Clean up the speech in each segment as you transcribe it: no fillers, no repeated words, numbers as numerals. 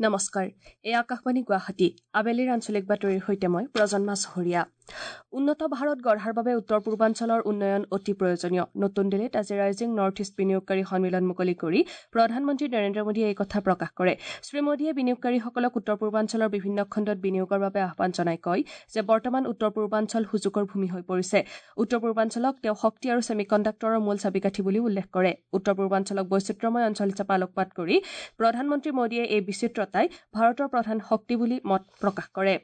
নমস্কাৰ, এই আকাশবাণী গুৱাহাটী। আবেলিৰ আঞ্চলিক বাতৰিৰ সৈতে মই প্ৰজন্মা চহৰীয়া। উন্নত ভাৰত গঢ়াৰ বাবে উত্তৰ পূৰ্বাঞ্চলৰ উন্নয়ন অতি প্ৰয়োজনীয়। নতুন দিল্লীত আজি ৰাইজিং নৰ্থ ইষ্ট বিনিয়োগকাৰী সন্মিলন মুকলি কৰি প্ৰধানমন্ত্ৰী নৰেন্দ্ৰ মোদীয়ে এই কথা প্ৰকাশ কৰে। শ্ৰী মোদীয়ে বিনিয়োগকাৰীসকলক উত্তৰ পূৰ্বাঞ্চলৰ বিভিন্ন খণ্ডত বিনিয়োগৰ বাবে আহ্বান জনাই কয় যে বৰ্তমান উত্তৰ পূৰ্বাঞ্চল সুযোগৰ ভূমি হৈ পৰিছে। উত্তৰ পূৰ্বাঞ্চলক তেওঁ শক্তি আৰু ছেমিকণ্ডাক্টৰৰ মূল চাবিকাঠি বুলিও উল্লেখ কৰে। উত্তৰ পূৰ্বাঞ্চলক বৈচিত্ৰ্যময় অঞ্চল হিচাপে আলোকপাত কৰি প্ৰধানমন্ত্ৰী মোদীয়ে এই বিচিত্ৰতাই ভাৰতৰ প্ৰধান শক্তি বুলি মত প্ৰকাশ কৰে।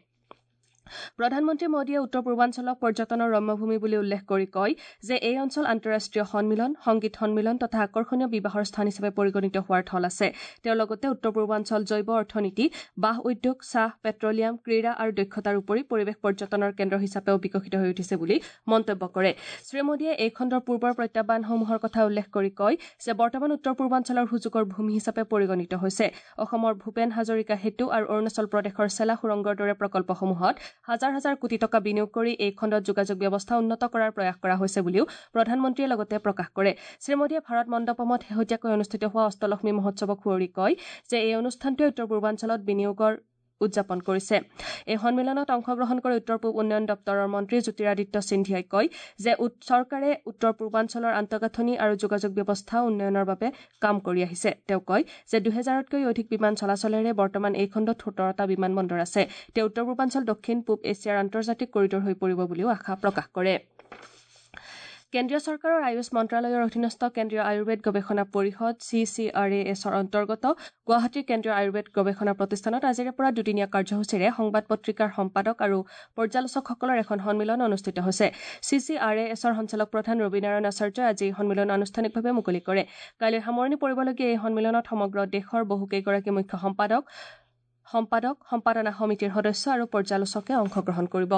প্ৰধানমন্ত্ৰী মোদীয়ে উত্তৰ পূৰ্বাঞ্চলক পৰ্যটনৰ ৰম্যভূমি বুলি উল্লেখ কৰি কয় যে এই অঞ্চল আন্তঃৰাষ্ট্ৰীয় সন্মিলন, সংগীত সন্মিলন তথা আকৰ্ষণীয় বিবাহৰ স্থান হিচাপে পৰিগণিত হোৱাৰ থল আছে। তেওঁ লগতে উত্তৰ পূৰ্বাঞ্চল জৈৱ অৰ্থনীতি, বাঁহ উদ্যোগ, চাহ, পেট্ৰলিয়াম, ক্ৰীড়া আৰু দক্ষতাৰ উপৰি পৰিৱেশ পৰ্যটনৰ কেন্দ্ৰ হিচাপেও বিকশিত হৈ উঠিছে বুলি মন্তব্য কৰে। শ্ৰী মোদীয়ে এই খণ্ডৰ পূৰ্বৰ প্ৰত্যাহ্বানসমূহৰ কথা উল্লেখ কৰি কয় যে বৰ্তমান উত্তৰ পূৰ্বাঞ্চলৰ সুযোগৰ ভূমি হিচাপে পৰিগণিত হৈছে। অসমৰ ভূপেন হাজৰিকা সেতু আৰু অৰুণাচল প্ৰদেশৰ চেলা সুৰংগৰ দৰে প্ৰকল্পসমূহত হাজাৰ হাজাৰ কোটি টকা বিনিয়োগ কৰি এই খণ্ডত যোগাযোগ ব্যৱস্থা উন্নত কৰাৰ প্ৰয়াস কৰা হৈছে বুলিও প্ৰধানমন্ত্ৰীয়ে লগতে প্ৰকাশ কৰে। শ্ৰী মোদীয়ে ভাৰত মণ্ডপমত শেহতীয়াকৈ অনুষ্ঠিত হোৱা অষ্টলক্ষ্মী মহোৎসৱক সুঁৱৰি কয় যে এই অনুষ্ঠানটোৱে উত্তৰ পূৰ্বাঞ্চলত বিনিয়োগৰ উদযাপন কৰিছে। এই সন্মিলনত অংশগ্ৰহণ কৰি উত্তৰ পূব উন্নয়ন দপ্তৰৰ মন্ত্ৰী জ্যোতিৰাদিত্য সিন্ধিয়াই কয় যে চৰকাৰে উত্তৰ পূৰ্বাঞ্চলৰ আন্তঃগাঁথনি আৰু যোগাযোগ ব্যৱস্থা উন্নয়নৰ বাবে কাম কৰি আহিছে। তেওঁ কয় যে 2000তকৈ অধিক বিমান চলাচলেৰে বৰ্তমান এই খণ্ডত 17টা বিমান বন্দৰ আছে। তেওঁ উত্তৰ পূৰ্বাঞ্চল দক্ষিণ পূব এছিয়াৰ আন্তৰ্জাতিক কৰিডৰ হৈ পৰিব বুলিও আশা প্ৰকাশ কৰে। কেন্দ্ৰীয় চৰকাৰৰ আয়ুষ মন্ত্ৰালয়ৰ অধীনস্থ কেন্দ্ৰীয় আয়ুৰ্বেদ গৱেষণা পৰিষদ CCRASৰ অন্তৰ্গত গুৱাহাটীৰ কেন্দ্ৰীয় আয়ুৰ্বেদ গৱেষণা প্ৰতিষ্ঠানত আজিৰে পৰা দুদিনীয়া কাৰ্যসূচীৰে সংবাদ পত্ৰিকাৰ সম্পাদক আৰু পৰ্যালোচকসকলৰ এখন সন্মিলন অনুষ্ঠিত হৈছে। CCRASৰ সঞ্চালক প্ৰধান ৰবিনাৰায়ণ আচাৰ্যই আজি এই সন্মিলন আনুষ্ঠানিকভাৱে মুকলি কৰে। কাইলৈ সামৰণি পৰিবলগীয়া এই সন্মিলনত সমগ্ৰ দেশৰ বহুকেইগৰাকী মুখ্য সম্পাদক, সম্পাদনা সমিতিৰ সদস্য আৰু পৰ্যালোচকে অংশগ্ৰহণ কৰিব।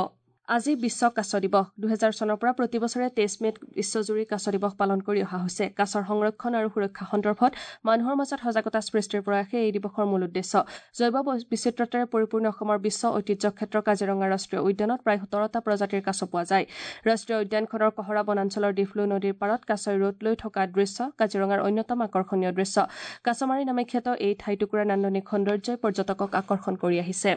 আজি বিশ্ব কাছ দিৱস। 2000 চনৰ পৰা প্ৰতি বছৰে 23 মে'ত বিশ্বজুৰি কাছ দিৱস পালন কৰি অহা হৈছে। কাছৰ সংৰক্ষণ আৰু সুৰক্ষা সন্দৰ্ভত মানুহৰ মাজত সজাগতা সৃষ্টিৰ প্ৰয়াসে এই দিৱসৰ মূল উদ্দেশ্য। জৈৱ বিচিত্ৰতাৰে পৰিপূৰ্ণ অসমৰ বিশ্ব ঐতিহ্য ক্ষেত্ৰ কাজিৰঙা ৰাষ্ট্ৰীয় উদ্যানত প্ৰায় 17টা প্ৰজাতিৰ কাছ পোৱা যায়। ৰাষ্ট্ৰীয় উদ্যানখনৰ কহৰা বনাঞ্চলৰ ডিফলু নদীৰ পাৰত কাছই ৰ'দ লৈ থকা দৃশ্য কাজিৰঙাৰ অন্যতম আকৰ্ষণীয় দৃশ্য। কাছমাৰী নামে খ্যাত এই ঠাইটুকুৰাৰ নান্দনিক সৌন্দৰ্যই পৰ্যটকক আকৰ্ষণ কৰি আহিছে।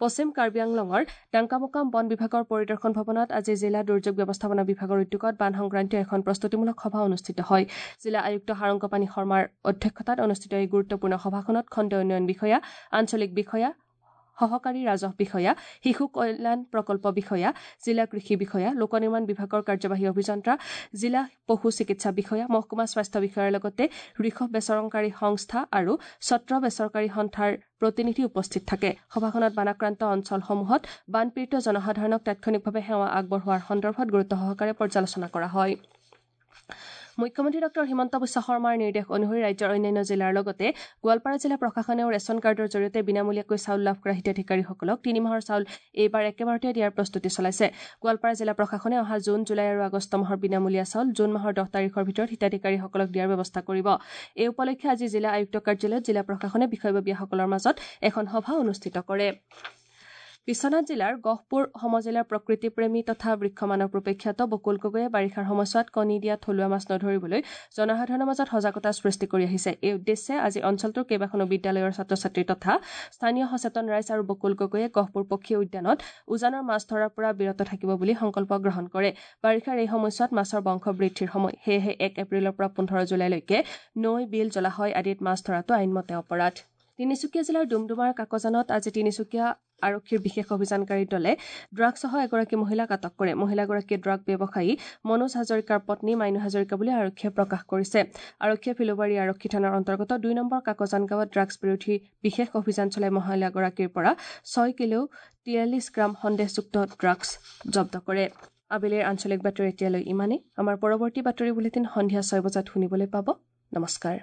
পশ্চিম কাৰ্বি আংলঙৰ ডাংকামুকাম বন বিভাগৰ পৰিদৰ্শন ভৱনত আজি জিলা দুৰ্যোগ ব্যৱস্থাপনা বিভাগৰ উদ্যোগত বান সংক্ৰান্তীয় এখন প্ৰস্তুতিমূলক সভা অনুষ্ঠিত হয়। জিলা আয়ুক্ত সাৰংগপাণি শৰ্মাৰ অধ্যক্ষতাত অনুষ্ঠিত এই গুৰুত্বপূৰ্ণ সভাখনত খণ্ড উন্নয়ন বিষয়া, আঞ্চলিক বিষয়া, সহকাৰী ৰাজহ বিষয়া, শিশু কল্যাণ প্ৰকল্প বিষয়া, জিলা কৃষি বিষয়া, লোক নিৰ্মাণ বিভাগৰ কাৰ্যবাহী অভিযন্তা, জিলা পশু চিকিৎসা বিষয়া, মহকুমা স্বাস্থ্য বিষয়াৰ লগতে ঋষভ বেচৰকাৰী সংস্থা আৰু ছত্ৰ বেচৰকাৰী সন্থাৰ প্ৰতিনিধি উপস্থিত থাকে। সভাখনত বানাক্ৰান্ত অঞ্চলসমূহত বানপীড়িত জনসাধাৰণক তাৎক্ষণিকভাৱে সেৱা আগবঢ়োৱাৰ সন্দৰ্ভত গুৰুত্ব সহকাৰে পৰ্যালোচনা কৰা হয়। মুখ্যমন্ত্ৰী ডঃ হিমন্ত বিশ্ব শৰ্মাৰ নিৰ্দেশ অনুসৰি ৰাজ্যৰ অন্যান্য জিলাৰ লগতে গোৱালপাৰা জিলা প্ৰশাসনেও ৰেচন কাৰ্ডৰ জৰিয়তে বিনামূলীয়াকৈ চাউল লাভ কৰা হিতাধিকাৰীসকলক 3 মাহৰ চাউল এইবাৰ একেবাৰতে দিয়াৰ প্ৰস্তুতি চলাইছে। গোৱালপাৰা জিলা প্ৰশাসনে অহা জুন, জুলাই আৰু আগষ্ট মাহৰ বিনামূলীয়া চাউল জুন মাহৰ 10 তাৰিখৰ ভিতৰত হিতাধিকাৰীসকলক দিয়াৰ ব্যৱস্থা কৰিব। এই উপলক্ষে আজি জিলা আয়ুক্ত কাৰ্যালয়ত জিলা প্ৰশাসনে বিষয়ববীয়াসকলৰ মাজত এখন সভা অনুষ্ঠিত কৰে। বিশ্বনাথ জিলাৰ গহপুৰ সমজিলাৰ প্ৰকৃতিপ্ৰেমী তথা বৃক্ষমানৱ ৰূপে খ্যাত বকুল গগৈয়ে বাৰিষাৰ সময়ছোৱাত কণী দিয়া থলুৱা মাছ নধৰিবলৈ জনসাধাৰণৰ মাজত সজাগতা সৃষ্টি কৰি আহিছে। এই উদ্দেশ্যে আজি অঞ্চলটোৰ কেইবাখনো বিদ্যালয়ৰ ছাত্ৰ ছাত্ৰী তথা স্থানীয় সচেতন ৰাইজ আৰু বকুল গগৈয়ে গহপুৰ পক্ষী উদ্যানত উজানৰ মাছ ধৰাৰ পৰা বিৰত থাকিব বুলি সংকল্প গ্ৰহণ কৰে। বাৰিষাৰ এই সময়ছোৱাত মাছৰ বংশ বৃদ্ধিৰ সময়, সেয়েহে 1 এপ্ৰিলৰ পৰা 15 জুলাইলৈকে নৈ, বিল, জলাশয় আদিত মাছ ধৰাটো আইনমতে অপৰাধ। তিনিচুকীয়া জিলাৰ ডুমডুমাৰ কাকজানত আজি তিনিচুকীয়া আৰক্ষীৰ বিশেষ অভিযানকাৰী দলে ড্ৰাগছসহ এগৰাকী মহিলাক আটক কৰে। মহিলাগৰাকীয়ে ড্ৰাগ ব্যৱসায়ী মনোজ হাজৰিকাৰ পত্নী মাইনু হাজৰিকা বুলি আৰক্ষীয়ে প্ৰকাশ কৰিছে। আৰক্ষীয়ে ফিল'বাৰী আৰক্ষী থানাৰ অন্তৰ্গত 2 নম্বৰ কাকজান গাঁৱত ড্ৰাগছ বিৰোধী বিশেষ অভিযান চলাই মহিলাগৰাকীৰ পৰা 6 কিলো 43 গ্ৰাম সন্দেহযুক্ত ড্ৰাগছ জব্দ কৰে। আবেলিৰ আঞ্চলিক বাতৰি এতিয়ালৈ ইমানেই। আমাৰ পৰৱৰ্তী বাতৰি বুলেটিন সন্ধিয়া 6 বজাত শুনিবলৈ পাব। নমস্কাৰ।